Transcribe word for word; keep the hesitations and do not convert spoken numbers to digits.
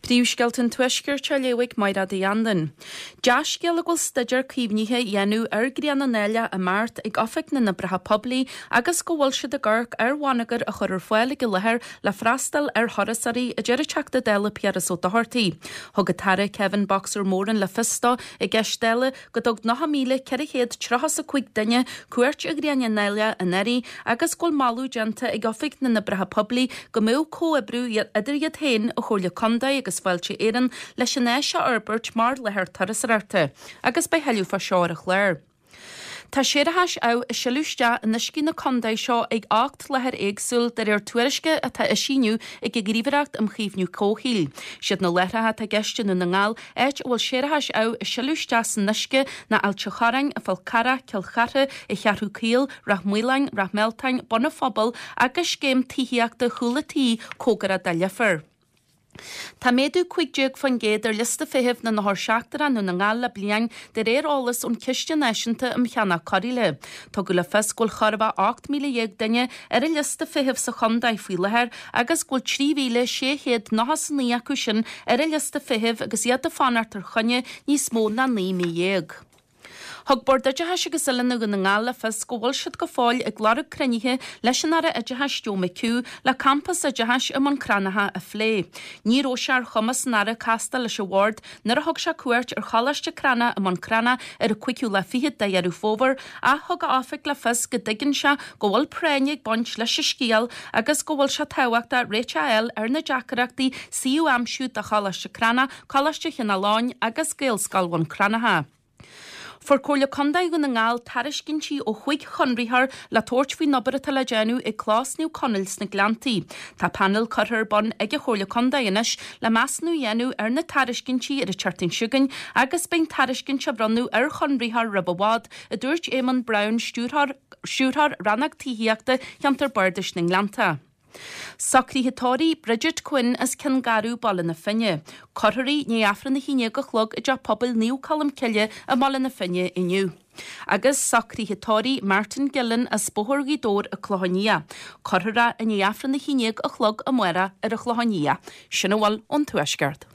Príomhscéalta an Tuaiscirt á léamh ag Mairéad Uí Anluain. Dea-scéala go bhfuil staidéar caomhnaithe á dhéanamh ar Ghrianán Aileach i mBeart ag Oifig na nOibreacha Poiblí agus go bhfuil siad ag amharc ar bhonneagar a chur ar fáil ag an láthair le freastal ar thurasóirí, a deir an Teachta Dála Piaras Ó Dochartaigh. Thug an tAire Kevin Boxer Moran le fios dó i gceist Dála go dtug nócha míle ceithre chéad tríocha is a cúig duine cuairt ar Ghrianán Aileach anuraidh agus go bhfuil moladh déanta ag Oifig na nOibreacha Poiblí go mbeadh comhoibriú idir iad féin, an Chomhairle Contae agus Fáilte Éireann leis an áis a fhorbairt mar láthair turasóireachta agus beidh tuilleadh fá seo ar an chlár. Tá séarachais amh ag sileadh isteach in uiscí na contae seo ag ocht láthair éagsúil de réir tuairisce atá eisithe inniu ag an Ghníomhaireacht um Chaomhnú Comhshaoil. Siad na láithreacha atá i gceist i nDún na nGall, áit a bhfuil séarachais amh ag sileadh isteach san uisce, ná Ailt an Chorráin, an Fál Carrach, Cill Chartha, an Cheathrú Caol, Ráth Maoláin, Ráth Mealtain, Bun an Phobail agus scéim tithíochta Chúl an Tí cóngarach do Leifear. Tá méadú cúig déag faoin gcéad ar liosta feithimh na n-othar seachtrach i nDún na nGall le bliain, de réir eolas ón Chiste Náisiúnta um Cheannach Cóireála. Tugadh le fios go bhfuil chóir a bheith ocht míle dhéag duine ar an liosta feithimh sa chontae faoi láthair agus go bhfuil trí mhíle sé chéad nócha is a naoi acu sin ar an liosta feithimh agus iad ag fanacht ar choinne níos mó ná naoi mí dhéag. Thug Bord Oideachais agus Oiliúna Dhún na nGall le fios go bhfuil siad go fóill ag lorg cruinnithe leis an Aire Oideachais Joe McHugh le campas oideachais i mBun Cranncha a phlé. Ní raibh sé ar chumas an Aire castáil leis an Bhord nuair a thug sé cuairt ar Choláiste Cranncha i mBun Cranncha ar an cúigiú lá fichead de Dheireadh Fómhair ach thug a oifig le fios go dtuigeann sé go bhfuil práinn ag baint leis an scéal agus go bhfuil sé tábhachtach réiteach a fháil ar na deacrachtaí suíomh a aimsiú do Choláiste Cranncha, Coláiste Chineál Eoghain agus Gaelscoil Bhun Cranncha. Fuair Comhairle Contae Dhún na nGall tairiscintí ó chúig chonraitheoir le tabhairt faoin obair atá le déanamh ag Clós Naomh Conaill sna Gleanntaí. Tá painéal curtha ar bun ag an Chomhairle Contae anois le measúnú a dhéanamh ar na tairiscintí ar an tseachtain seo chugainn agus beidh an tairiscint á bhronnadh ar chonraitheoir roimh i bhfad, a dúirt Éamonn Brown, Stiúrthóir Rannóg Tithíochta Cheantar Bardais na nGleannta. Socruithe tórraimh Bridget Quinn as Cionn Garbh, Baile na Finne. Cuirfear í i ndiaidh Aifreann a haon déag a chlog i dTeach Pobail Naomh Colm Cille i mBaile na Finne inniu. Agus socruithe tórraimh Martin Gillen as Bóthar Ghaoth Dobhair, An Clochán Liath. Cuirfear é i ndiaidh Aifreann a haon déag a chlog amárach ar an Chlochán Liath. Sin a bhfuil ón Tuaisceart.